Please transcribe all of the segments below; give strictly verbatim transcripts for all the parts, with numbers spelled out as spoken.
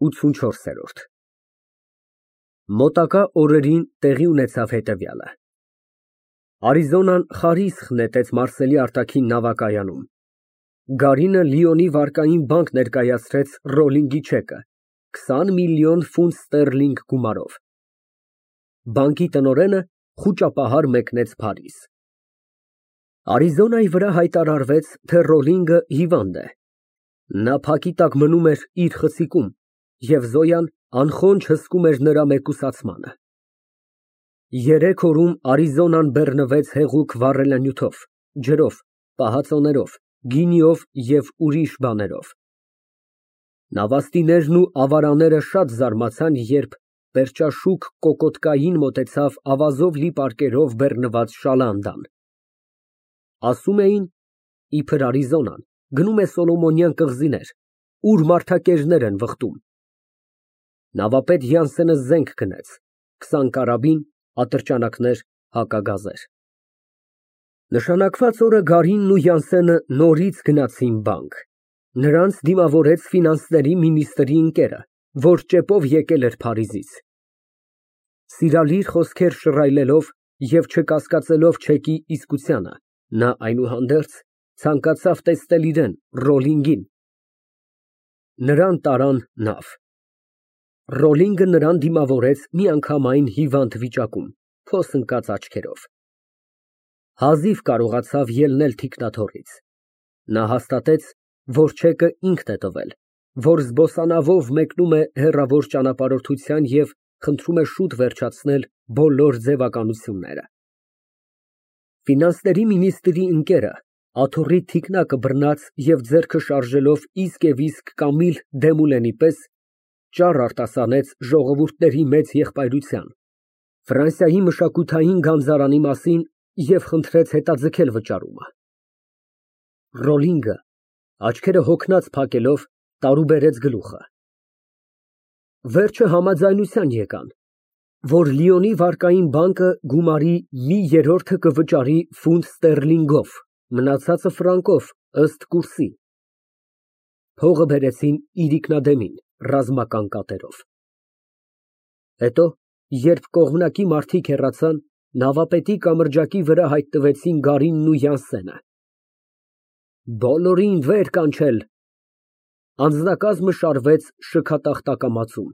ութսունչորս Մոտակա օրերին տեղի ունեցավ հետևյալը. Արիզոնան խարիսխ նետեց Մարսելի արտաքին նավակայանում, Գարինը Լիոնի վարկային բանկ ներկայացրեց ռոլինգի չեկը քսան միլիոն ֆունտ ստերլինգ գումարով։ Բանկի տնօրենը խուճապահար մեկնեց Փարիզ։ Արիզոնայի վրա հայտարարվեց, թե Ռոլինգը հիվանդ է։ Նա փակի տակ մնում էր իր խցիկում, և Զոյան անխոնջ հսկում էր նրա մեկուսացմանը։ Երեք օրում Արիզոնան բեռնվեց հեղուկ վառելանյութով, ջրով, պահածոներով, գինիով և ուրիշ բաներով։ Նավաստիներն ու ավարաները շատ զարմացան, երբ պերճաշուք կոկորդկային մոտեցավ ավազով լի պարկերով բեռնված շալանդան։ Ասում էին, իբր Արիզոնան գնում է Սոլոմոնյան կղզիներ, ուր մարդակերներ են վխտում։ Նավապետ Յանսենը զենք գնեց, քսան կարաբին, ատրճանակներ, հակագազեր։ Նշանակված օրը Գարինն ու Յանսենը նորից գնացին բանկ։ Նրանց դիմավորեց ֆինանսների մինիստրի ընկերը, որ ճեպով եկել էր Փարիզից։ Սիրալիր խոսքեր շռայլելով և չկասկածելով չեկի իսկությանը, նա այնուհանդերձ ցանկացավ տեսնել իրան, Ռոլինգին։ Նրան տարան նավ։ Ռոլինգը նրան դիմավորեց միանգամայն հիվանդ վիճակում, փոս ընկած աչքերով։ Հազիվ կարողացավ ելնել թիկնաթոռից։ Նա հաստատեց, որ չեկը ինքն է տվել, որ զբոսանավով մեկնում է հեռավոր ճանապարհորդության և խնդրում է շուտ վերջացնել բոլոր ձևականությունները։ Ֆինանսների մինիստրի ընկերը աթոռի թիկնակը բռնած և ձեռքը շարժելով իսկ և իսկ Կամիլ Դեմուլենի պես ճառ արտասանեց ժողովուրդների մեծ եղբայրության, Ֆրանսիայի մշակութային գանձարանի մասին և խնդրեց հետաձգել վճարումը։ Ռոլինգը, աչքերը հոգնած փակելով, տարուբերեց գլուխը։ Վերջը համաձայնության եկան, որ Լիոնի վարկային բանկը գումարի մի երրորդը կվճարի ֆունտ ստերլինգով, մնացածը ֆրանկով, ըստ կուրսի։ Փողը բերեցին իրիկնադեմին, ռազմական կատերով։ Հետո, երբ կողմնակի մարդիկ հեռացան, նավապետի կամրջակի վրա հայտնվեցին Գարինն ու Յանսենը։ Բոլորին վեր կանչել։ Անձնակազմը շարվեց շքատախտակամածում,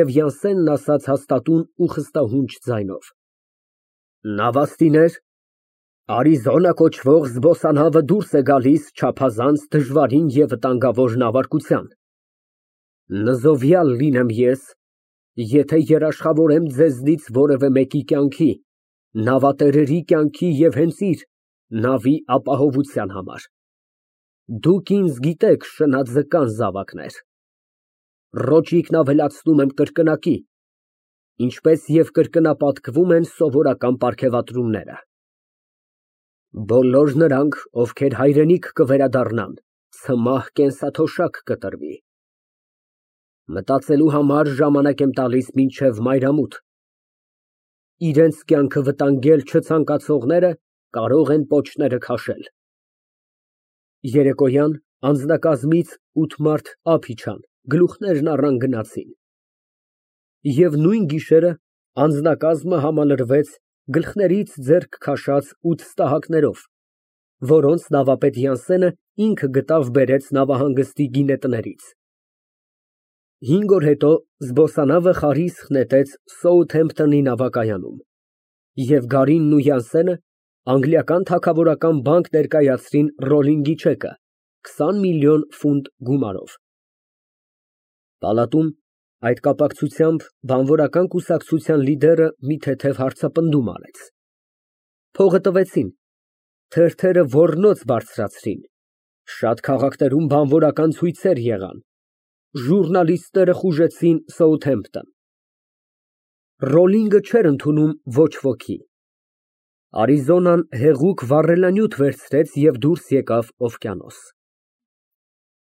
և Յանսենն ասաց հաստատուն ու խստահունչ ձայնով. Նավաստիներ, Արիզոնա կոչվող զբոսանավը դուրս է գալիս չափազանց դժվարին և վտանգավոր նավարկության։ Նզովյալ լինեմ ես, եթե երաշխավորեմ ձեզնից որևէ մեկի կյանքի, նավատերերի կյանքի և հենց իր նավի ապահովության համար։ Դուք ինձ գիտեք, շնաձկան զավակներ, ռոճիկն ավելացնում եմ կրկնակի, ինչպես և կրկնապատկվում են սովորական պարգևատրումները։ Բոլոր նրանք, ովքեր հայրենիք կվերադառնան, ցմահ կենսաթոշակ կտրվի։ Մտածելու համար ժամանակ եմ տալիս մինչև մայրամուտ։ Իրենց կյանքը վտանգել չցանկացողները կարող են պոչները քաշել։ Երեկոյան անձնակազմից ութ մարդ ափ իջան, գլուխներն առան գնացին։ Եվ նույն գիշերը անձնակազմը համալրվեց գլխներից ձեռք քաշած ութ ստահակներով, որոնց նավապետ Յանսենը ինքը գտավ բերեց նավահանգստի գինետներից։ Հինգ օր հետո զբոսանավը խարիսխ նետեց Սոութհեմփթոնի նավակայանում, և Գարինն ու Յանսենը անգլիական թագավորական բանկ ներկայացրին Ռոլինգի չեկը քսան միլիոն ֆունտ գումարով։ Պալատում այդ կապակցությամբ բանվորական կուսակցության լիդերը մի թեթև հարցապնդում արեց։ Փողը տվեցին, թերթերը ոռնոց բարձրացրին, շատ քաղաքներում բանվորական ցույցեր եղան, ժուռնալիստները խուժեցին Սոութհեմփթոն։ Ռոլինգը չէր ընդունում ոչ ոքի։ Արիզոնան հեղուկ վառելանյութ վերցրեց և դուրս եկավ օվկիանոս։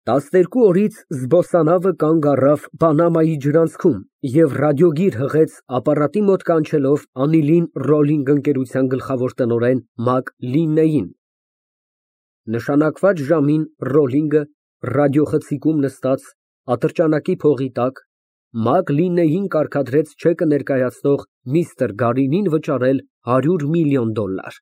Տասներկու օրից զբոսանավը կանգ առավ Պանամայի ջրանցքում և ռադիոգիր հղեց ապարատի մոտ կանչելով անիլին Ռոլինգ ընկերության գլխավոր տնօրեն Մակ Լիննեին։ Նշանակված ժամին Ռոլինգը, ռադիոխցիկում նստած, Ատրճանակի փողի տակ Մակ Լիննեին կարգադրեց չեկը ներկայացնող միստր Գարինին վճարել հարյուր միլիոն դոլար։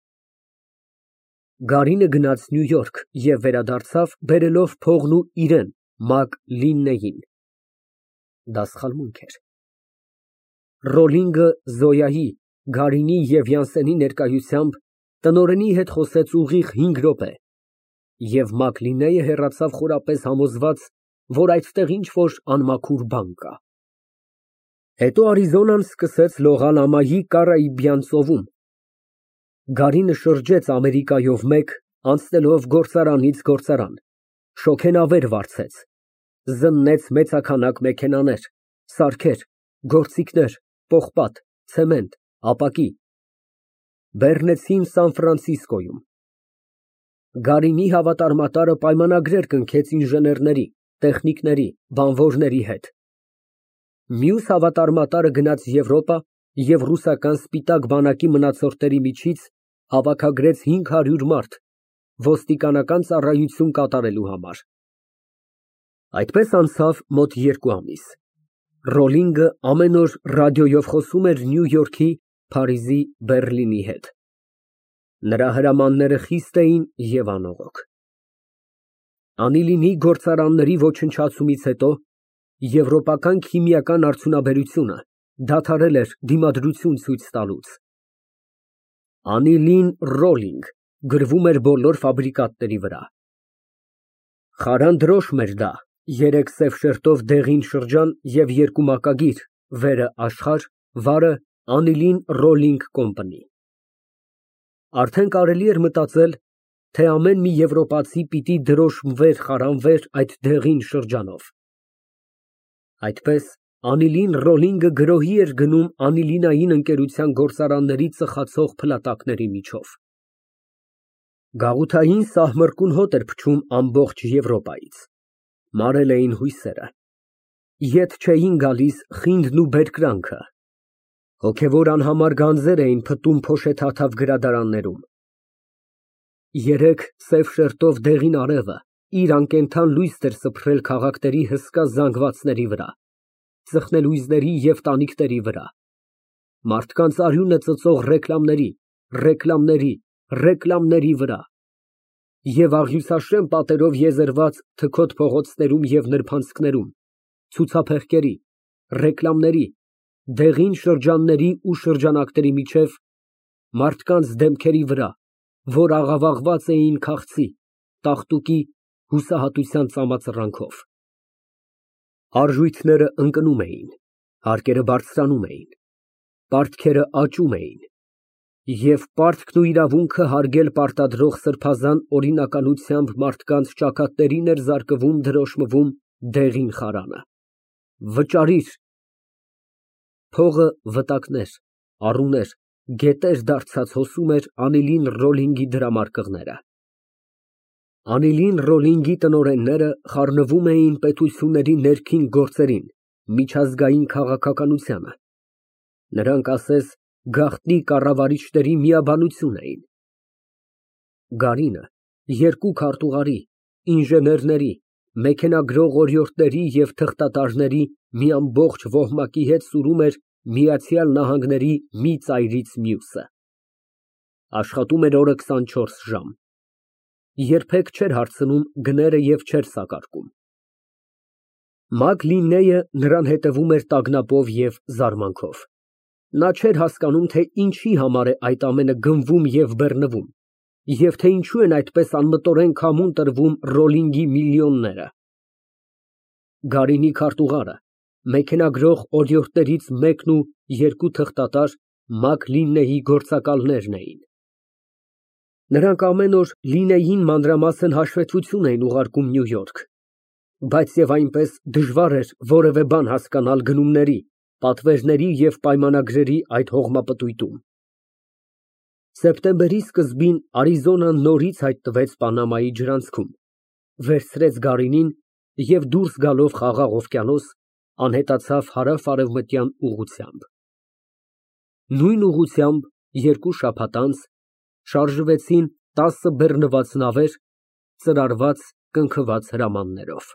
Գարինը գնաց Նյու Յորք և վերադարձավ բերելով փողն ու իրան Մակ Լիննեին։ Դա սխալմունք էր։ Ռոլլինգը Զոյայի, Գարինի և Յանսենի ներկայությամբ տնօրենի հետ խոսեց ուղիղ հինգ րոպե, և Մակ Լիննեյը հեռացավ խորապես համոզված, որ այդտեղ ինչ֊որ անմաքուր բան կա։ Հետո Արիզոնան սկսեց լողալ ամայի Կարիբյան ծովում։ Գարինը շրջեց Ամերիկայով մեկ, անցնելով գործարանից գործարան, շոգենավեր վարձեց, զննեց մեծաքանակ մեքենաներ, սարքեր, գործիքներ, պողպատ, ցեմենտ, ապակի։ Բեռնեցին Սան Ֆրանցիսկոյում։ Գարինի հավատարմատարը պայմանագրեր կնքեց ինժեներների, տեխնիկների, բանվորների հետ։ Մյուս հավատարմատարը գնաց Եվրոպա և ռուսական սպիտակ բանակի մնացորդների միջից հավաքագրեց հինգ հարյուր մարդ ոստիկանական ծառայություն կատարելու համար։ Այդպես անցավ մոտ երկու ամիս։ Ռոլլինգը ամեն օր ռադիոյով խոսում էր Նյու Յորքի, Փարիզի, Բեռլինի հետ։ Նրա հրամանները խիստ էին և անողոք։ Անիլինի գործարանների ոչնչացումից հետո եվրոպական քիմիական արդյունաբերությունը դադարել էր դիմադրություն ցույց տալուց։ Անիլին Ռոլլինգ գրվում էր բոլոր ֆաբրիկատների վրա։ Խարան դրոշմ էր դա, երեք սև շերտով դեղին շրջան և երկու մակագիր, վերը աշխարհ, վարը Անիլին Ռոլլինգ Կոմփանի։ Արդեն կարելի էր մտածել, թե ամեն մի եվրոպացի պիտի դրոշմվեր, խարանվեր այդ դեղին շրջանով։ Այդպես Անիլին Ռոլլինգը գրոհի էր գնում անիլինային ընկերության գործարանների ծխացող փլատակների միջով։ Գաղութային սահմռկուն հոտ էր փչում ամբողջ Եվրոպայից։ Մարել էին հույսերը։ Ետ չէին գալիս խինդն ու բերկրանքը։ Հոգևոր անհամար գանձեր էին փտում փոշեթաթավ գրադարաններում։ Երեկ սև շերտով դեղին արևը իր անկենդան լույսն էր սփռել քաղաքների հսկա զանգվածների վրա, ծխնելույզների և տանիքների վրա, մարդկանց արյունը ծծող ռեկլամների, ռեկլամների, ռեկլամների վրա, և աղյուսաշեն պատերով եզերված թքոտ փողոցներում և նրբանցքներում, ցուցափեղկերի, ռեկլամների, դեղին շրջանների ու շրջանակների միջև, մարդկանց դեմքերի վրա, որ աղավաղված էին քաղցի, տաղտուկի, հուսահատության ծամածռանքով։ Արժույթները ընկնում էին, հարկերը բարձրանում էին, պարտքերը աճում էին, և պարտքն ու իրավունքը հարգել պարտադրող սրբազան օրինականությամբ մարդկանց ճակատներին էր զարկվում դրոշմվում դեղին խարանը։ Վճարիր։ Փողը վտակներ, առուներ, գետեր դարձած հոսում էր Անիլին Ռոլլինգի դրամարկղները։ Անիլին Ռոլլինգի տնօրենները խառնվում էին պետությունների ներքին գործերին, միջազգային քաղաքականությանը։ Նրանք, ասես, գաղտնի կառավարիչների միաբանություն էին։ Գարինը երկու քարտուղարի, ինժեներների, մեքենագրող օրիորդների և թղթատարների մի ամբողջ ոհմակի հետ սուրում էր Միացյալ Նահանգների մի ծայրից մյուսը։ Աշխատում էր օրը քսանչորս ժամ։ Երբեք չէր հարցնում գները և չէր սակարկում։ Մակ Լիննեյը նրան հետևում էր տագնապով և զարմանքով։ Նա չէր հասկանում, թե ինչի համար է այդ ամենը գնվում և բեռնվում, և թե ինչու են այդպես անմտորեն քամուն տրվում Ռոլլինգի միլիոնները։ Գարինի քարտուղարը, մեքենագրող օրիորդներից մեկն ու երկու թղթատար Մակ Լիննեյի գործակալներն էին։ Նրանք ամեն օր Լիննեյին մանրամասն հաշվետվություն էին ուղարկում Նյու Յորք, բայց և այնպես դժվար էր որևէ բան հասկանալ գնումների, պատվերների և պայմանագրերի այդ հողմապտույտում։ Սեպտեմբերի սկզբին Արիզոնան նորից հայտնվեց Պանամայի ջրանցքում, վերցրեց Գարինին և դուրս գալով Խաղաղ օվկիանոս, անհետացավ հարավ֊արևմտյան ուղղությամբ։ Նույն ուղղությամբ երկու շաբաթ անց շարժվեցին տասը բեռնված նավեր՝ ծրարված, կնքված հրամաններով։